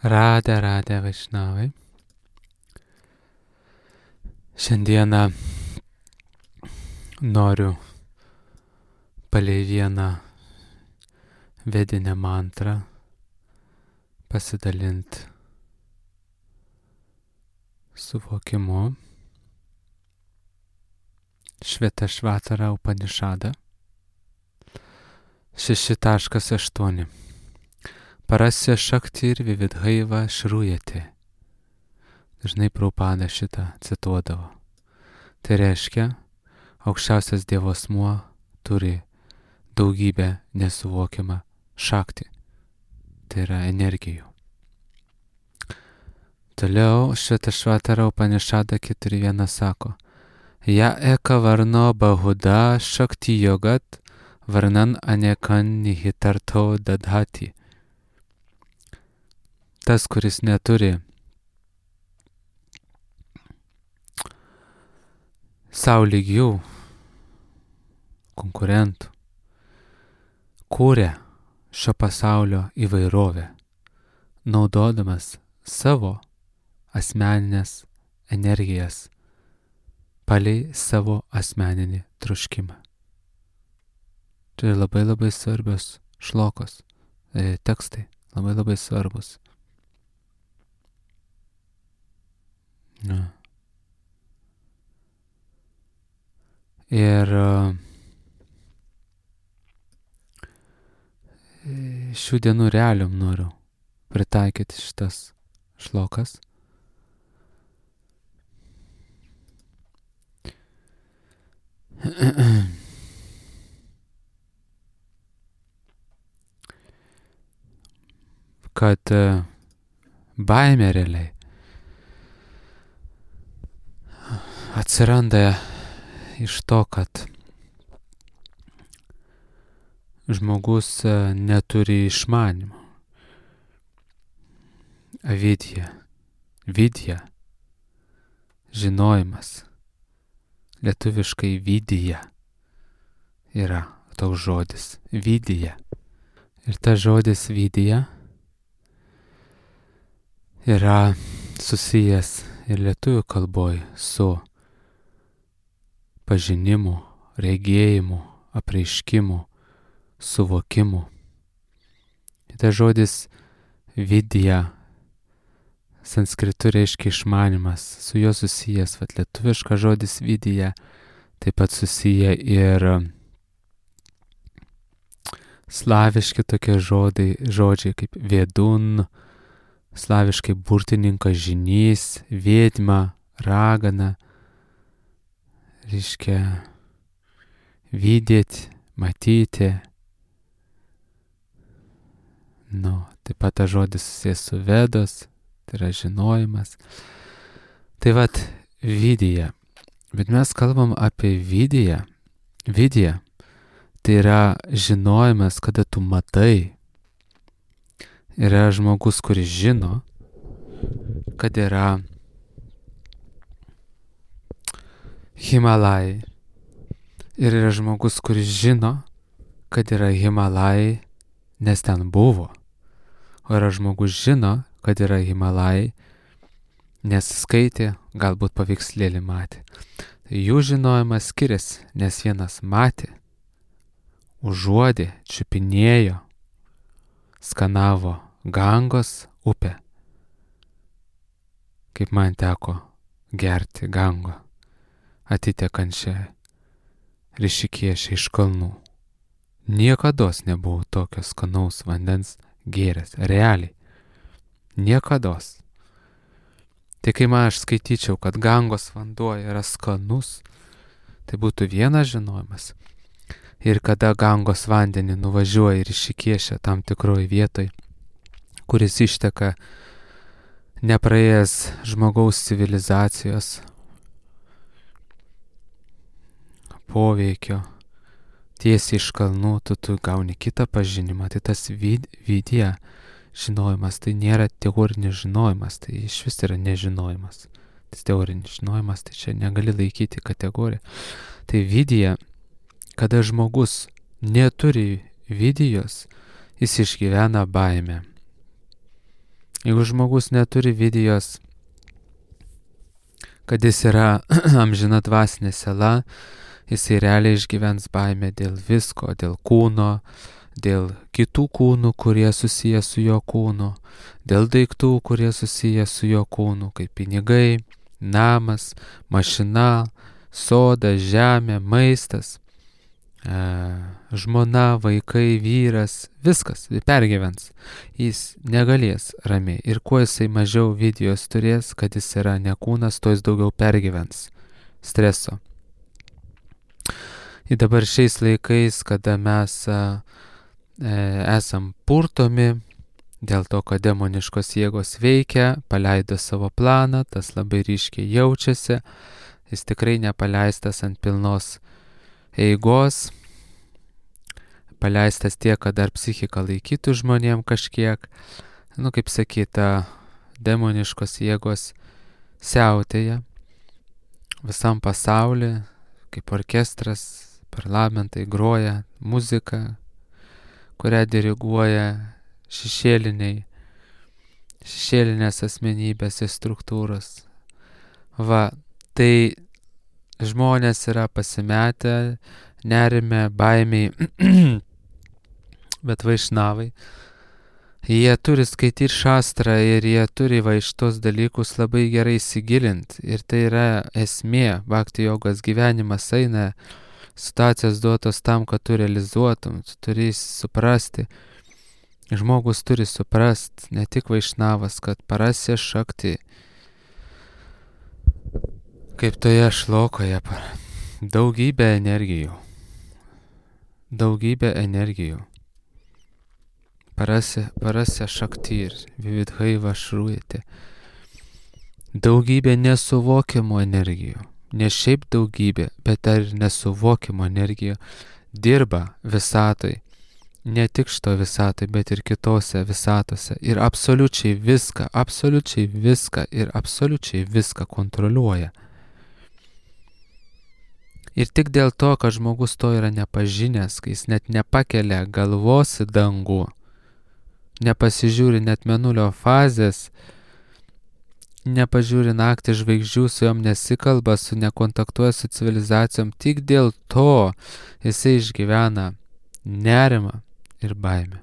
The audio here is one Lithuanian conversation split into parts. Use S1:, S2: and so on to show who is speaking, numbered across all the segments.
S1: Radhe Vaishnavai. Šiandieną noriu palei vieną vedinę mantrą pasidalinti suvokimu. Švetashvatara Upanishada 6.8. Parasya Shaktir Vividhaiva Šrūjate. Dažnai Prabhupada šitą cituodavo. Tai reiškia, aukščiausias Dievo asmuo turi daugybę nesuvokiamą šaktį. Tai yra energijų. Toliau Švetashvatara Upanishada 4.1 sako: Ja eka varno bahuda shakti yogat varnan anekan nihitarto dadhati. Tas, kuris neturi sau lygių konkurentų, kūrė šio pasaulio įvairovę, naudodamas savo asmeninės energijas palei savo asmeninį troškimą. Tai labai svarbios šlokos, tekstai, labai svarbus. Ir šių dienų realiom noriu pritaikyti šitas šlokas. Kad baimė realiai atsiranda iš to, kad žmogus neturi išmanimo. Vidya, žinojimas. Lietuviškai vidya yra toks žodis. Vidya. Ir tas žodis vidya yra susijęs ir lietuvių kalboj su pažinimu, regėjimu, apreiškimu, suvokimu. Tas žodis vidya sanskritu reiškia išmanimas, su juo susijęs, lietuviškas žodis vidya, taip pat susiję ir slaviški tokie žodžiai kaip vedun, slaviškai burtininkas, žynys, vėdma, ragana, reiškia vidėti, matyti. Taip pat tas žodis susijęs su vedos, tai yra žinojimas. Tai vidya. Bet mes kalbam apie vidya. Vidya tai yra žinojimas, kada tu matai. Yra žmogus, kuris žino, kad yra Himalajai. Ir yra žmogus, kuris žino, kad yra Himalajai, nes ten buvo. O yra žmogus žino, kad yra Himalajai, nes skaitė, galbūt paveikslėlį matė. Tai jų žinojimas skiriasi, nes vienas matė, užuodė, čiupinėjo, skanavo Gangos upę. Kaip man teko gerti Gango, atitekančią Rišikėše iš kalnų. Niekados nebuvau tokio skanaus vandens gėręs, realiai. Niekados. Tai kai man aš skaityčiau, kad Gangos vanduo yra skanus, tai būtų vienas žinojimas. Ir kada Gangos vandenį nuvažiuoja ir Rišikėše tam tikroj vietoj, kuris išteka nepraėjęs žmogaus civilizacijos poveikio, tiesiai iš kalnų, tu gauni kitą pažinimą. Tai tas vidya žinojimas, tai nėra teorinis žinojimas, tai iš vis yra nežinojimas. Tas teorinis žinojimas, tai čia negali laikyti kategoriją. Tai vidya, kada žmogus neturi vidyjos, jis išgyvena baimę. Jeigu žmogus neturi vizijos, kad jis yra amžina dvasinė siela, jisai realiai išgyvens baimę dėl visko, dėl kūno, dėl kitų kūnų, kurie susiję su jo kūnu, dėl daiktų, kurie susiję su jo kūnu, kaip pinigai, namas, mašina, soda, žemė, maistas, žmona, vaikai, vyras, viskas pergyvens. Jis negalės ramiai. Ir kuo jisai mažiau vizijos turės, kad jis yra ne kūnas, tuo jis daugiau pergyvens streso. Ir dabar šiais laikais, kada mes esam purtomi, dėl to, kad demoniškos jėgos veikia, paleido savo planą, tas labai ryškiai jaučiasi, jis tikrai nepaleistas ant pilnos eigos, paleistas tiek, kad dar psichika laikytų žmonėm kažkiek, kaip sakyta, demoniškos jėgos siautėja visam pasaulyje, kaip orkestras, parlamentai groja muziką, kurią diriguoja šešėlinės asmenybės ir struktūros. Tai žmonės yra pasimetę, nerime, baimiai, bet vaišnavai. Jie turi skaityti šastrą ir jie turi šitos dalykus labai gerai įsigilinti. Ir tai yra esmė, bhakti jogos gyvenimas eina, situacijos duotos tam, kad tu realizuotum, tu turi suprasti. Žmogus turi suprasti, ne tik vaišnavas, kad parasya šakti, kaip toje šlokoje, daugybė energijų. Parasya šaktir, vividhaiva šrūjate. Daugybė nesuvokiamų energijų. Ne šiaip daugybė, bet ar nesuvokiamų energijų dirba visatoj. Ne tik šito visatoj, bet ir kitose visatose. Ir absoliučiai viską kontroliuoja. Ir tik dėl to, kad žmogus to yra nepažinęs, kai jis net nepakelia galvos į dangų, nepasižiūri net mėnulio fazės, nepažiūri naktį žvaigždžių, su jom nesikalba, nekontaktuoja su civilizacijom, tik dėl to jisai išgyvena nerimą ir baimę.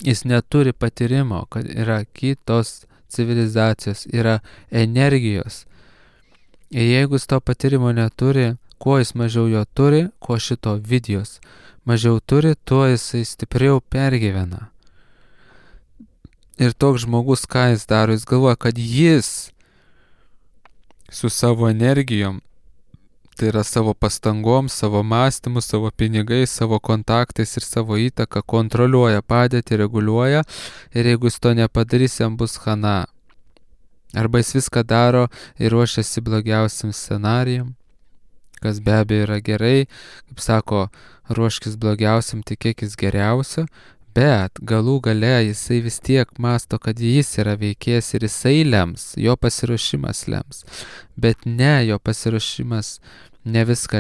S1: Jis neturi patyrimo, kad yra kitos civilizacijos, yra energijos. Ir jeigu jis to patyrimo neturi, kuo jis mažiau jo turi, kuo šito vizijos mažiau turi, tuo jisai stipriau pergyvena. Ir toks žmogus, ką jis daro, jis galvoja, kad jis su savo energijom, tai yra savo pastangom, savo mąstymu, savo pinigais, savo kontaktais ir savo įtaką kontroliuoja padėtį, reguliuoja, ir jeigu jis to nepadarys, jam bus chana. Arba jis viską daro ir ruošiasi blogiausiam scenarijam, kas be abejo yra gerai, kaip sako, ruoškis blogiausiam, tikėkis geriausio, bet galų gale jisai vis tiek mąsto, kad jis yra veikėjas ir jisai lems, jo pasiruošimas lems, bet ne, jo pasiruošimas ne viską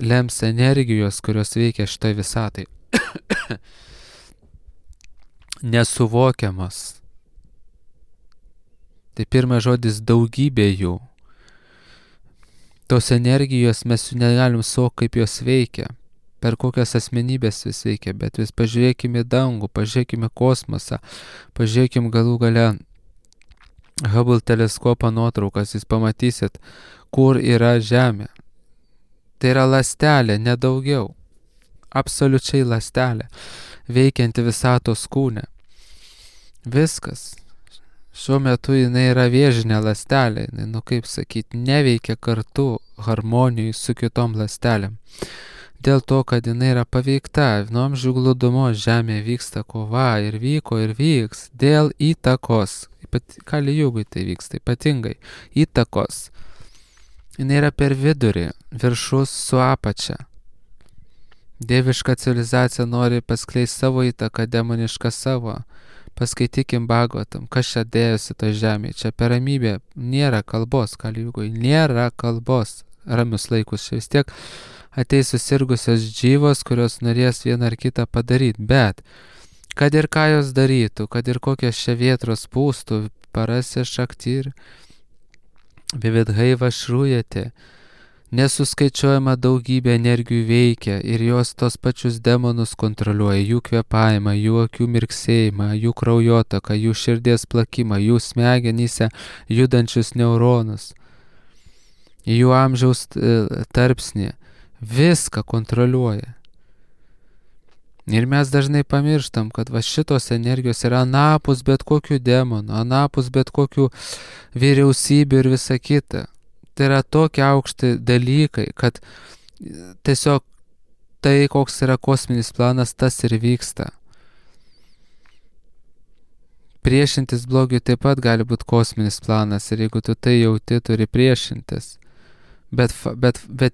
S1: lems energijos, kurios veikia šitoj visatai. Nesuvokiamas. Tai pirmas žodis daugybė jų. Tos energijos mes jų negalim suvokti, kaip jos veikia, per kokias asmenybės vis veikia, bet vis pažiūrėkime dangų, pažiūrėkime kosmosą, pažiūrėkime galų gale Hubble teleskopo nuotraukas, jūs pamatysit, kur yra Žemė. Tai yra ląstelė, nedaugiau. Absoliučiai ląstelė, veikianti visatos kūne. Viskas. Šiuo metu jinai yra vėžinė ląstelė, kaip sakyti, neveikia kartu harmonijai su kitom ląstelėm. Dėl to, kad jinai yra paveikta, nuo amžių glūdumo Žemė vyksta kova ir vyko ir vyks dėl įtakos. Kali jugui tai vyksta ypatingai. Įtakos. Jinai yra per vidurį, viršus su apačia. Dieviška civilizacija nori paskleisti savo įtaką, demonišką savo. Paskaitykim Bhagavatam, kas čia dėjosi to žemėje. Čia per ramybę nėra kalbos, Kali jugui, nėra kalbos. Ramius laikus čia vis tiek ateis susirgusios džyvos, kurios norės vieną ar kitą padaryti. Bet kad ir ką jos darytų, kad ir kokios čia vėtros pūstų, parasya šaktir, vividhaiva šrūjate, nesuskaičiuojama daugybė energijų veikia ir jos tos pačius demonus kontroliuoja, jų kvėpavimą, jų akių mirksėjimą, jų kraujotaką, jų širdies plakimą, jų smegenyse judančius neuronus, jų amžiaus tarpsnį, viską kontroliuoja. Ir mes dažnai pamirštam, kad va šitos energijos yra anapus bet kokių demonų, anapus bet kokių vyriausybių ir visa kita. Tai yra tokie aukšti dalykai, kad tiesiog tai, koks yra kosminis planas, tas ir vyksta. Priešintis blogiui taip pat gali būti kosminis planas ir jeigu tu tai jauti, turi priešintis. Bet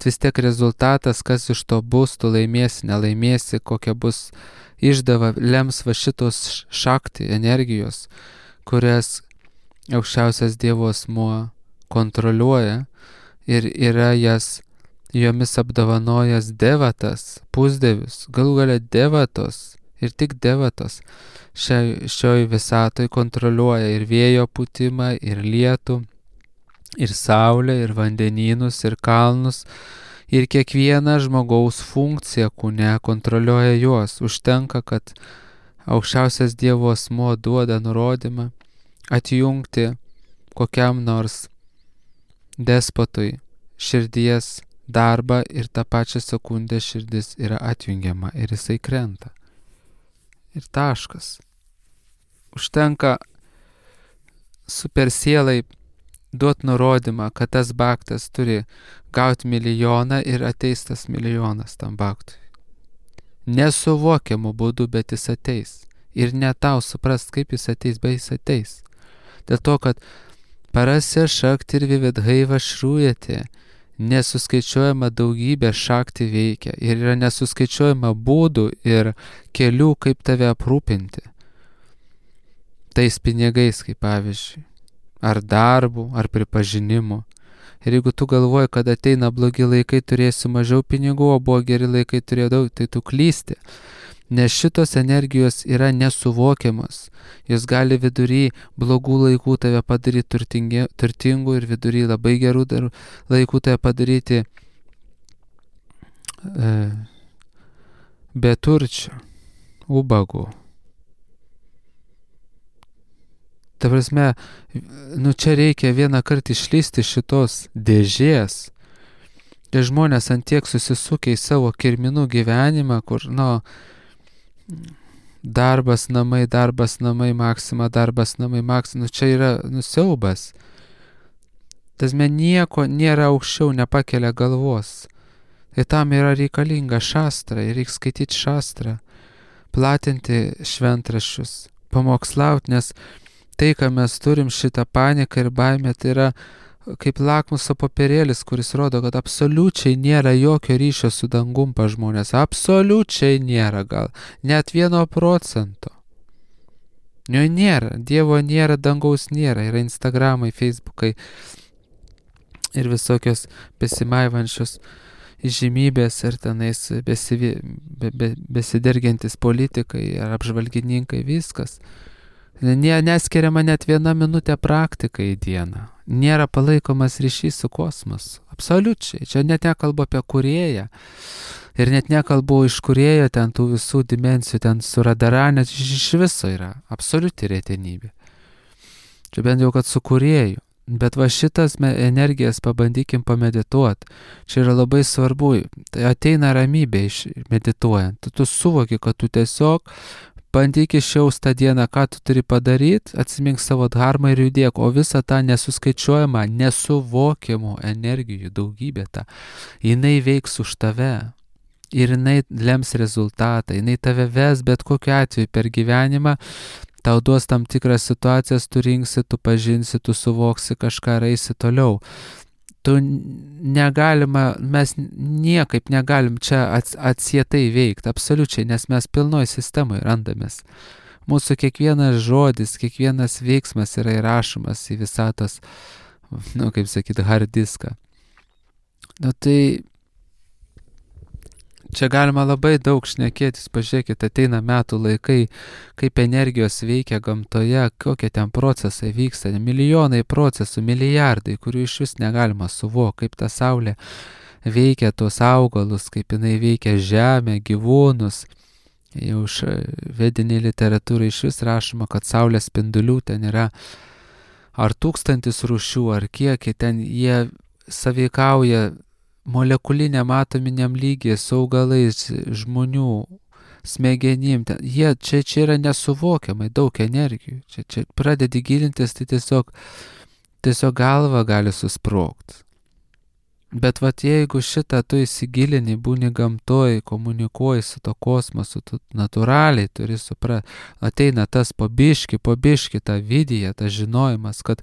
S1: vis tiek rezultatas, kas iš to bus, tu laimėsi, nelaimėsi, kokia bus išdava, lems va šitos šakti energijos, kurias aukščiausias Dievo asmuo kontroliuoja ir yra jomis apdovanojęs devatas, pusdevius, galų gale devatos ir tik devatos šioj visatoj kontroliuoja ir vėjo pūtimą, ir lietų, ir saulę, ir vandenynus, ir kalnus, ir kiekvieną žmogaus funkciją kūne kontroliuoja juos. Užtenka, kad aukščiausias Dievo asmuo duoda nurodymą atjungti kokiam nors despotui širdies darbą ir tą pačią sekundę širdis yra atjungiama ir jisai krenta. Ir taškas. Užtenka super sielai duot nurodymą, kad tas baktas turi gauti milijoną ir ateis tas milijonas tam baktui. Nesuvokiamu būdu, bet jis ateis. Ir ne tau suprast, kaip jis ateis, bet jis ateis. Dėl to, kad parasya šakti ir vividhaiva šrūjate, nesuskaičiuojama daugybė šakti veikia ir yra nesuskaičiuojama būdų ir kelių, kaip tave aprūpinti. Tais pinigais, kaip pavyzdžiui. Ar darbų, ar pripažinimu. Ir jeigu tu galvoji, kad ateina blogi laikai, turėsi mažiau pinigų, o buvo geri laikai, turėjo daug, tai tu klysti. Nes šitos energijos yra nesuvokiamas. Jos gali vidury blogų laikų tave padaryti turtingų ir vidury labai gerų laikų tave padaryti beturčių, ubagų. Ta prasme, čia reikia vieną kartą išlysti šitos dėžės. Tie žmonės antiek susisukia į savo kirminų gyvenimą, kur, darbas, namai, maksima, darbas, namai, maksima. Čia yra siaubas. Tasme nieko nėra aukščiau, nepakelia galvos. Tai tam yra reikalinga šastra, ir reikia skaityti šastrą, platinti šventraščius, pamokslauti, nes tai, ką mes turim, šitą paniką ir baimę, tai yra kaip lakmuso popierėlis, kuris rodo, kad absoliučiai nėra jokio ryšio su dangum pas žmonės. Absoliučiai nėra, gal net 1%. Jo nėra, Dievo nėra, dangaus nėra. Yra Instagramai, Facebookai ir visokios besimaivančios įžymybės ir tenais besidergiantis politikai ar apžvalgininkai, viskas. Neskiriama net 1 minutė praktikai į dieną. Nėra palaikomas ryšys su kosmosu. Absoliučiai. Čia net nekalbu apie kūrėją. Ir net nekalbu iš kūrėjo ten tų visų dimensijų, ten su radaranė, iš viso yra absoliuti retenybė. Čia bent jau, kad su kūrėju. Bet va šitas energijas pabandykim pamedituoti. Čia yra labai svarbu. Tai ateina ramybė medituojant. Tu suvoki, kad tu tiesiog bandyk išjaust tą dieną, ką tu turi padaryti, atsimink savo dharmą ir judėk, o visą tą nesuskaičiuojamą, nesuvokiamų energijų daugybė tą, jinai veiks už tave ir jinai lems rezultatą, jinai tave ves bet kokiu atveju per gyvenimą, tau duos tam tikras situacijas, tu rinksi, tu pažinsi, tu suvoksi kažką ir eisi toliau. Mes niekaip negalim čia atsietai veikti, absoliučiai, nes mes pilnoj sistemai randamės. Mūsų kiekvienas žodis, kiekvienas veiksmas yra įrašomas į visatos, hard diską. Tai Čia galima labai daug šnekėtis, pažiūrėkit, ateina metų laikai, kaip energijos veikia gamtoje, kokie ten procesai vyksta, milijonai procesų, milijardai, kurių iš vis negalima suvokti, kaip ta saulė veikia tos augalus, kaip jinai veikia žemę, gyvūnus. Jau iš vedinį literatūrą iš vis rašoma, kad saulės spindulių ten yra ar 1000 rūšių, ar kiek, ten jie sąveikauja molekuliniam atominiam lygiai su augalais, žmonių smegenim. Čia yra nesuvokiamai daug energijų. Čia pradedi gilintis, tai tiesiog galva gali susprogti. Bet jeigu šitą tu įsigilini, būni gamtoj, komunikuoji su to kosmosu, tu natūraliai turi suprasti, ateina tas po biški ta vidija, tas žinojimas, kad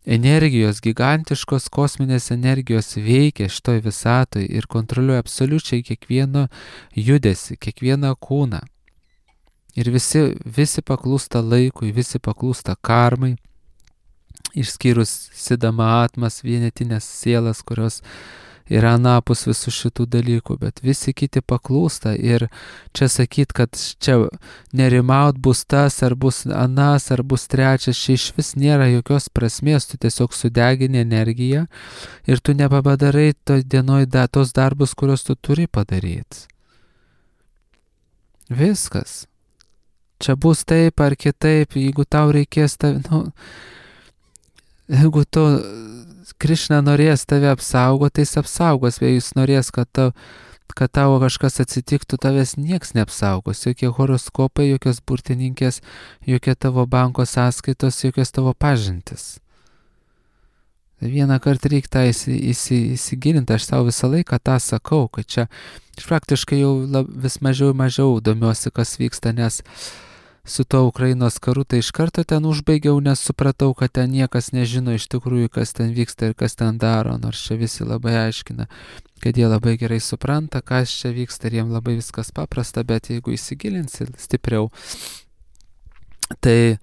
S1: energijos, gigantiškos kosminės energijos veikia šitoj visatoj ir kontroliuoja absoliučiai kiekvieną judesį, kiekvieną kūną. Ir visi paklūsta laikui, visi paklūsta karmai, išskyrus Sidama atmas, vienetinės sielas, kurios yra anapus visų šitų dalykų, bet visi kiti paklūsta. Ir čia sakyt, kad čia nerimaut bus tas, ar bus anas, ar bus trečias, čia iš vis nėra jokios prasmės, tu tiesiog sudegini energiją ir tu nepadarai toj dienoj tos darbus, kuriuos tu turi padaryti. Viskas. Čia bus taip ar kitaip, jeigu tau reikės jeigu tu Krišna norės tave apsaugoti, tai jis apsaugos, bet jis norės, kad tavo kažkas atsitiktų, tavęs nieks neapsaugos, jokie horoskopai, jokios burtininkės, jokie tavo banko sąskaitos, jokios tavo pažintis. Vieną kartą reikia tą įsigilinti, aš savo visą laiką tą sakau, kad čia praktiškai jau vis mažiau domiuosi, kas vyksta, nes su to Ukrainos karu tai iš karto ten užbaigiau, nes supratau, kad ten niekas nežino iš tikrųjų, kas ten vyksta ir kas ten daro, nors čia visi labai aiškina, kad jie labai gerai supranta, kas čia vyksta ir jiem labai viskas paprasta, bet jeigu įsigilinsi stipriau, tai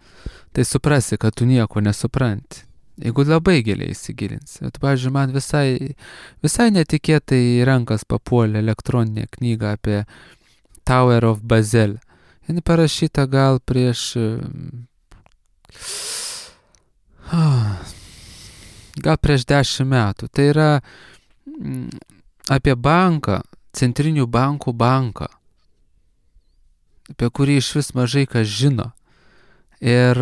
S1: suprasi, kad tu nieko nesupranti. Jeigu labai giliai įsigilinsi. Pavyzdžiui, man visai netikėtai į rankas papuolė elektroninė knyga apie Tower of Babel. Jis parašyta gal prieš 10 metų. Tai yra apie banką, centrinių bankų banką, apie kurį iš vis mažai kas žino. Ir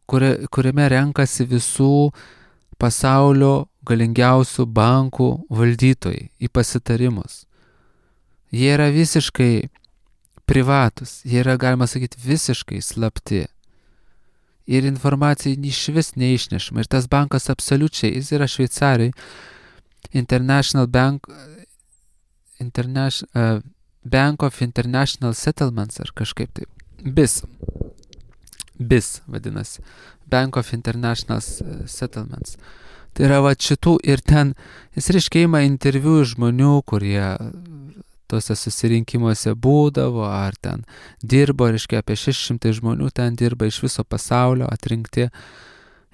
S1: kuriame renkasi visų pasaulio galingiausių bankų valdytojai į pasitarimus. Jie yra visiškai privatus, jie yra, galima sakyti, visiškai slapti. Ir informacija iš vis neišnešama. Ir tas bankas absoliučiai, jis yra Šveicarijai, Bank of International Settlements ar kažkaip taip. BIS vadinasi. Bank of International Settlements. Tai yra šitų ir ten, jis reiškia ima interviu žmonių, kurie tuose susirinkimuose būdavo, ar ten dirbo, reiškia apie 600 žmonių ten dirba iš viso pasaulio atrinkti.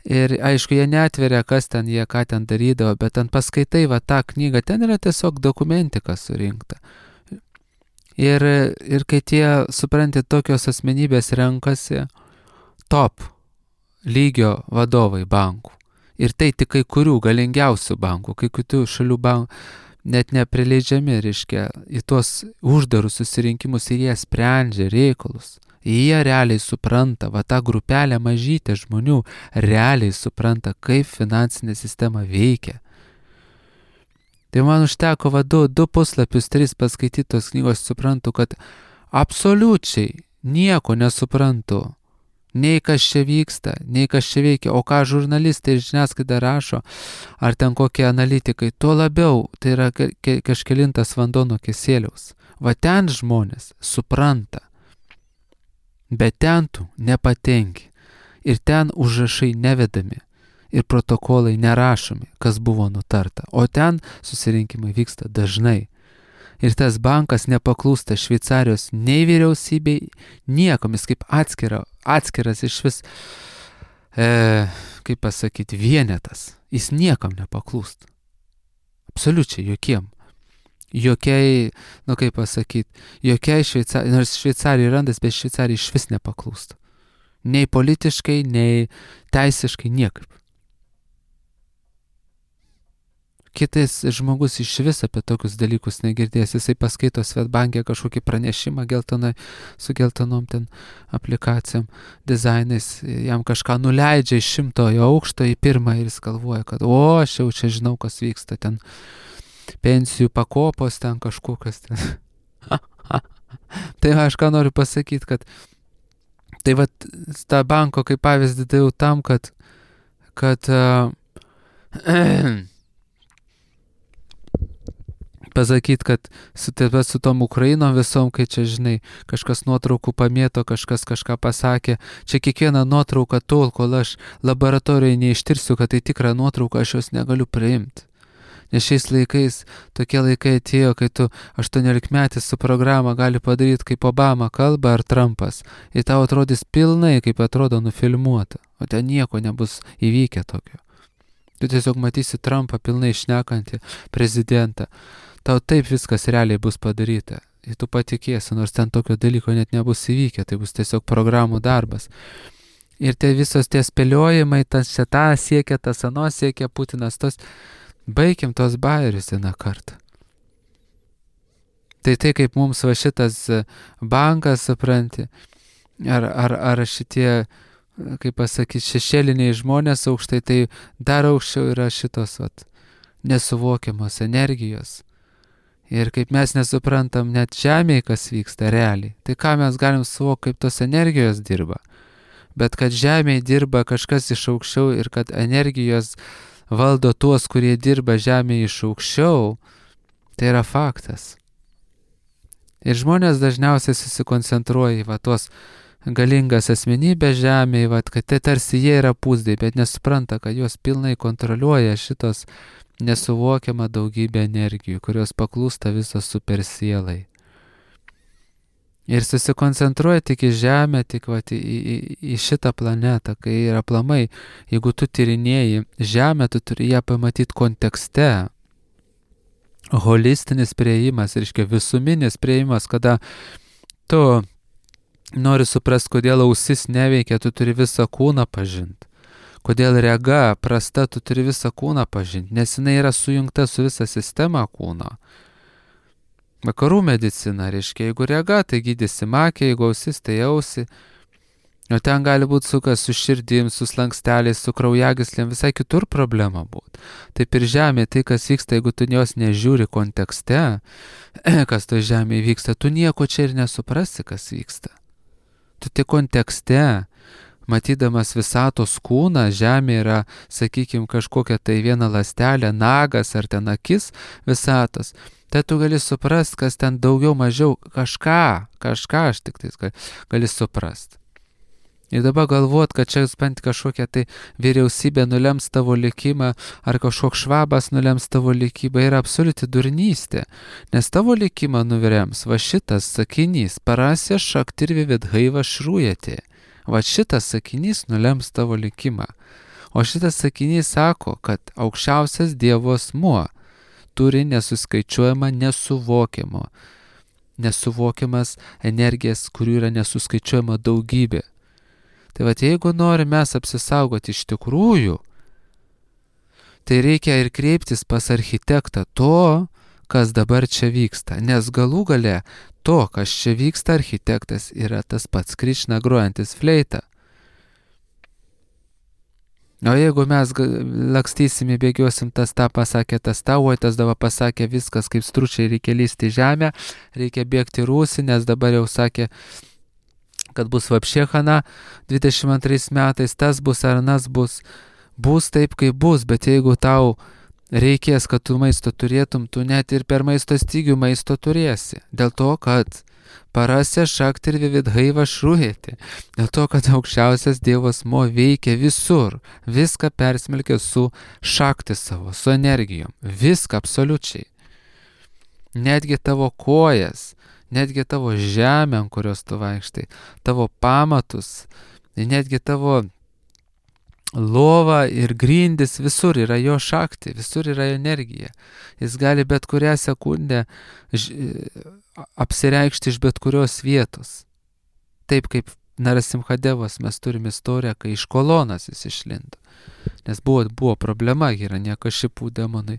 S1: Ir aišku, jie neatveria, kas ten jie, ką ten darydavo, bet ten paskaitai tą knygą, ten yra tiesiog dokumentika surinkta. Ir kai tie, supranti, tokios asmenybės renkasi top lygio vadovai bankų. Ir tai tik kai kurių galingiausių bankų, kai kitų šalių bankų net neprileidžiami, reiškia, į tuos uždarus susirinkimus ir jie sprendžia reikalus. Jie realiai supranta, tą grupelę mažytė žmonių realiai supranta, kaip finansinė sistema veikia. Tai man užteko 2 puslapius, 3 paskaitytos knygos, suprantu, kad absoliučiai nieko nesuprantu. Nei kas čia vyksta, nei kas čia veikia, o ką žurnalistai ir žiniasklaida rašo, ar ten kokie analitikai, tuo labiau tai yra kažkelintas vanduo nuo kėsėliaus. Ten žmonės supranta, bet ten tu nepatenki ir ten užrašai nevedami ir protokolai nerašomi, kas buvo nutarta, o ten susirinkimai vyksta dažnai. Ir tas bankas nepaklūsta Šveicarijos nei vyriausybei, niekomis kaip atskiras iš vis, kaip pasakyti, vienetas. Jis niekam nepaklūsta. Absoliučiai jokiem. jokiai, kaip pasakyti, jokiai Šveicarijai, nors Šveicarijai randas, bet Šveicarijai iš vis nepaklūsta. Nei politiškai, nei teisiškai, niekaip. Kitais žmogus iš vis apie tokius dalykus negirdės. Jisai paskaito Svetbank'e kažkokį pranešimą su geltonom ten aplikacijom, dizainais, jam kažką nuleidžia iš 100 aukšto į 1 ir jis galvoja, kad aš jau čia žinau, kas vyksta ten. Pensijų pakopos ten kažkokios ten. Tai aš ką noriu pasakyti, kad tai vat tą banko kaip pavyzdį daviau tam, kad pasakyti, kad su tom Ukrainom visom, kai čia, žinai, kažkas nuotraukų pamėto, kažkas kažką pasakė, čia kiekvieną nuotrauką tol, kol aš laboratorijoje neištirsiu, kad tai tikra nuotrauka, aš jos negaliu priimti. Nes šiais laikais, tokie laikai atėjo, kai tu 18-metis su programa gali padaryti, kaip Obama kalba ar Trumpas. Ir tau atrodys pilnai, kaip atrodo nufilmuota. O ten nieko nebus įvykę tokio. Tu tiesiog matysi Trumpą pilnai šnekantį prezidentą. Tau taip viskas realiai bus padaryta. Ir tu patikėsi, nors ten tokio dalyko net nebus įvykę. Tai bus tiesiog programų darbas. Ir visos tie spėliojimai, tas čia tą siekia, tas ano siekia, Putinas tos... Baikim tos bajerius vieną kartą. Tai kaip mums va šitas bankas, supranti, ar šitie, kaip pasakyti, šešėliniai žmonės aukštai, tai dar aukščiau yra šitos nesuvokiamos energijos. Ir kaip mes nesuprantam net žemėje, kas vyksta realiai, tai ką mes galim suvokti, kaip tos energijos dirba. Bet kad žemėje dirba kažkas iš aukščiau ir kad energijos valdo tuos, kurie dirba žemėje iš aukščiau, tai yra faktas. Ir žmonės dažniausiai susikoncentruoja į tuos galingas asmenybės žemėje, kad tai tarsi jie yra pūzdai, bet nesupranta, kad juos pilnai kontroliuoja šitos nesuvokiama daugybė energijų, kurios paklūsta visos supersielai. Ir susikoncentruoja tik į Žemę, tik į šitą planetą, kai yra aplamai, jeigu tu tyrinėji Žemę, tu turi ją pamatyti kontekste. Holistinis priėjimas, reiškia visuminis priėjimas, kada tu nori suprasti, kodėl ausis neveikia, tu turi visą kūną pažinti. Kodėl rega prasta, tu turi visą kūną pažinti, nes jinai yra sujungta su visa sistema kūno. Vakarų medicina, reiškia, jeigu rega, tai gydysi makę, jeigu ausis, tai ausį. O ten gali būti su širdim, su slanksteliais, su kraujagyslėm, visai kitur problema būtų. Taip ir žemė, tai kas vyksta, jeigu tu jos nežiūri kontekste, kas to žemėje vyksta, tu nieko čia ir nesuprasi, kas vyksta. Tu tik kontekste, matydamas visatos kūną, žemė yra, sakykime, kažkokia tai viena ląstelė, nagas ar ten akis visatos. Tai tu gali suprast, kas ten daugiau mažiau kažką aš tik tai gali suprast. Ir dabar galvot, kad čia bent kažkokia tai vyriausybė nulems tavo likimą, ar kažkoks švabas nulems tavo likimą, yra absoliuti durnystė. Nes tavo likimą nulems va šitas sakinys, parasė šaktirvi vidhaiva šrūjate. Va šitas sakinys nulems tavo likimą. O šitas sakinys sako, kad aukščiausias Dievo asmuo turi nesuskaičiuojama nesuvokiamas energijas, kurių yra nesuskaičiuojama daugybė. Tai jeigu norime mes apsisaugoti iš tikrųjų, tai reikia ir kreiptis pas architektą to, kas dabar čia vyksta. Nes galų gale to, kas čia vyksta, architektas yra tas pats Krišna grojantis fleitą. O jeigu mes lakstysim, bėgiosim, tas tą pasakė, tas tą, oi tas dabar pasakė, viskas kaip stručiai, reikia lysti žemę, reikia bėgti rūsį, nes dabar jau sakė, kad bus vapšėchana 22 metais, tas bus ar nas bus taip, kaip bus, bet jeigu tau reikės, kad tu maisto turėtum, tu net ir per maisto stygių maisto turėsi. Dėl to, kad parasė šaktirvi vidhaiva šrūjėti. Dėl to, kad aukščiausias Dievo asmuo veikia visur. Viską persmelkia su šakti savo, su energijom. Viską absoliučiai. Netgi tavo kojas, netgi tavo žemę, ant kurios tu vaikštai, tavo pamatus, netgi tavo lova ir grindis, visur yra jo šakti, visur yra energija. Jis gali bet kurią sekundę apsireikšti iš bet kurios vietos. Taip kaip Narasimhadevas mes turime istoriją, kai iš kolonas jis išlindo. Nes buvo problema, Hiranyaka šipų demonai.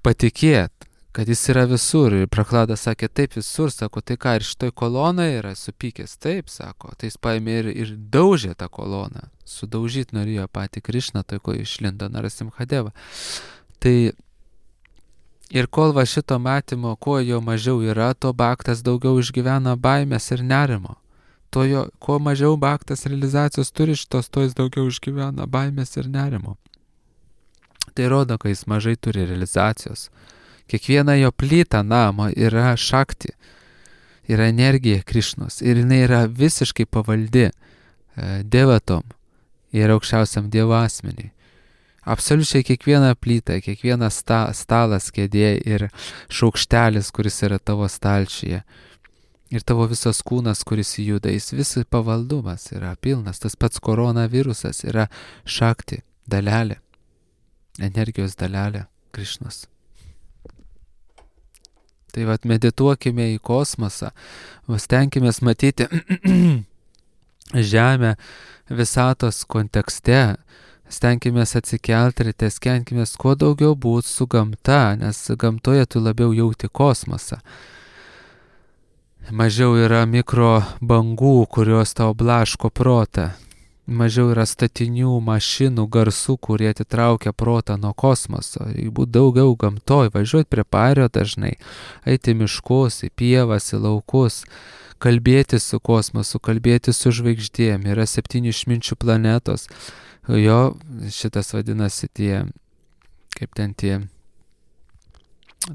S1: Patikėt, kad jis yra visur. Ir Prahladas sakė, taip visur, sako, tai ką, ir šitoj kolonai yra supykęs, taip, sako. Tai jis paėmė ir daužė tą koloną. Sudaužyti norėjo patį Krišną, tai ko išlindo Narasimhadeva. Tai ir kol va šito matymo, kuo jo mažiau yra, to Bhaktas daugiau išgyvena baimės ir nerimo. Kuo mažiau Bhaktas realizacijos turi šitos, to jis daugiau išgyvena baimės ir nerimo. Tai rodo, kad jis mažai turi realizacijos. Kiekviena jo plyta namo yra šakti, yra energija Krišnos ir jinai yra visiškai pavaldi devatom ir aukščiausiam Dievo asmeniui. Absoliučiai kiekviena plyta, kiekvienas stalas, kėdė ir šaukštelis, kuris yra tavo stalčiuje. Ir tavo visas kūnas, kuris juda, jis visai pavaldumas yra pilnas. Tas pats koronavirusas yra šakti, dalelė, energijos dalelė Krišnos. Tai vat medituokime į kosmosą, stenkimės matyti Žemę visatos kontekste, stenkimės atsikelti ir stenkimės kuo daugiau būti su gamta, nes gamtoje tu labiau jauti kosmosą. Mažiau yra mikro bangų, kurios tau blaško protą. Mažiau yra statinių, mašinų, garsų, kurie atitraukia protą nuo kosmoso. Būt daugiau gamtoj, važiuoti prie pario dažnai, eiti miškus, į pievas, į laukus, kalbėti su kosmosu, kalbėti su žvaigždėm. Yra 7 išminčių planetos. Jo, šitas vadinasi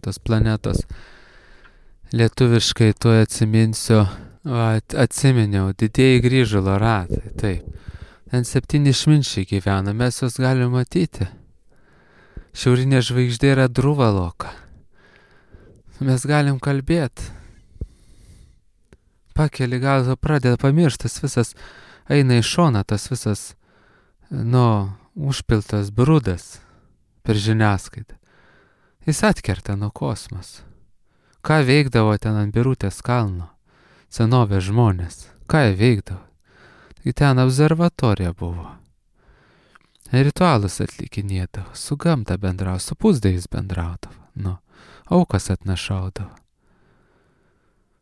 S1: tos planetos. Lietuviškai tuoj atsiminsiu, atsiminiau, didieji grįžulo ratai, taip. Ten 7 išminčiai gyvena, mes juos galime matyti. Šiaurinė žvaigždė yra Druvaloka. Mes galim kalbėti. Pakeli galvą, pradeda pamirštas visas, eina į šoną tas visas, užpiltas brudas per žiniasklaidą. Jis atkerta nuo kosmoso. Ką veikdavo ten ant Birutės kalno? Senovės žmonės. Ką jie veikdavo? Tai ten observatorija buvo. Ritualus atlikinėdavo, su gamta bendravo, su pusdėjais bendraudavo. Aukas atnašaudavo.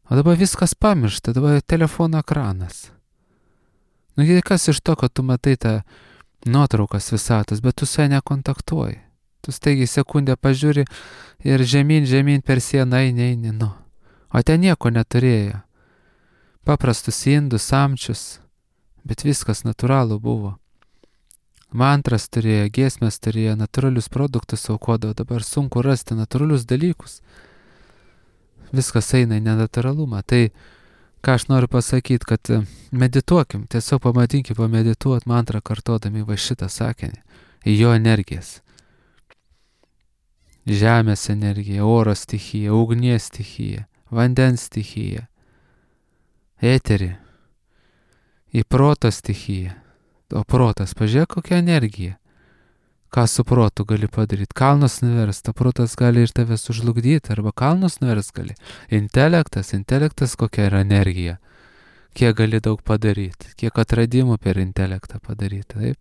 S1: O dabar viskas pamiršta, dabar telefono ekranas. Kas iš to, kad tu matai tą nuotraukas visatos, bet tu su ja nekontaktuoji. Tu staigiai sekundę pažiūri ir žemyn per sieną eini. O ten nieko neturėjo. Paprastus indus, samčius, bet viskas natūralu buvo. Mantras turėjo, giesmės turėjo, natūralius produktus aukodavo, dabar sunku rasti natūralius dalykus. Viskas eina į nenatūralumą. Tai, ką aš noriu pasakyti, kad medituokim, tiesiog pamedituot mantrą kartodami va šitą sakinį, į jo energijas. Žemės energija, oro stichija, ugnies stichija, vandens stichija, eterį, į proto stichiją. O protas, pažiūrėk, kokia energija. Ką su protu gali padaryti? Kalnus nuverst, o protas gali ir tave sužlugdyti, arba kalnus nuverst gali. Intelektas kokia yra energija. Kiek gali daug padaryti, kiek atradimų per intelektą padaryti, taip?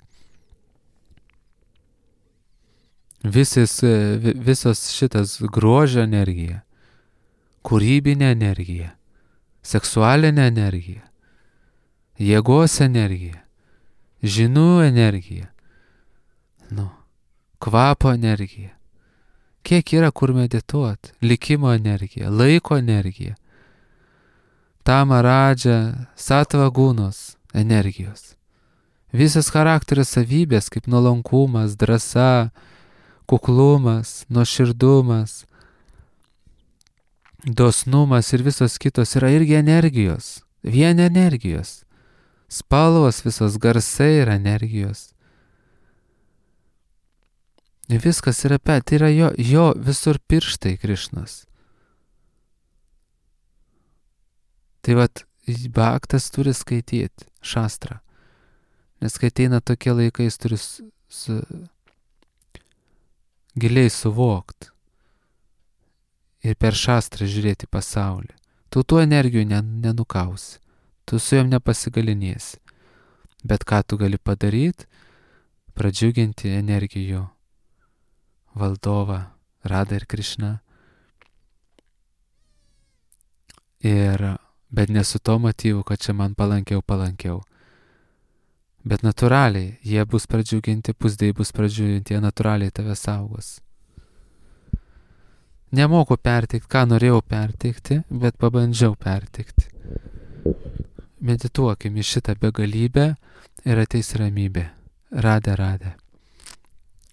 S1: Visos šitas grožio energija, kūrybinė energija, seksualinė energija, jėgos energija, žinių energija, kvapo energija. Kiek yra kur medituoti, likimo energija, laiko energija, tamaradža, satvagūnos energijos. Visas charakterio savybės, kaip nuolankumas, drąsa, kuklumas, nuoširdumas, dosnumas ir visos kitos yra irgi energijos, vien energijos. Spalvos, visos garsai yra energijos. Viskas yra tai yra jo visur pirštai Krišnos. Tai vat, Bhaktas turi skaityti šastrą. Nes kai ateina tokie laikai, jis turi giliai suvokti ir per šastrą žiūrėti pasaulį. Tu tų energijų nenukausi, tu su jom nepasigalinėsi. Bet ką tu gali padaryti? Pradžiuginti energijų valdovą Radha ir Krišną. Bet ne su to motyvu, kad čia man palankiau. Bet natūraliai jie bus pradžiuginti, pusdėjai bus pradžiuginti, jie natūraliai tave saugos. Nemoku perteikti, ką norėjau perteikti, bet pabandžiau perteikti. Medituokim į šitą begalybę ir ateis ramybė. Radha.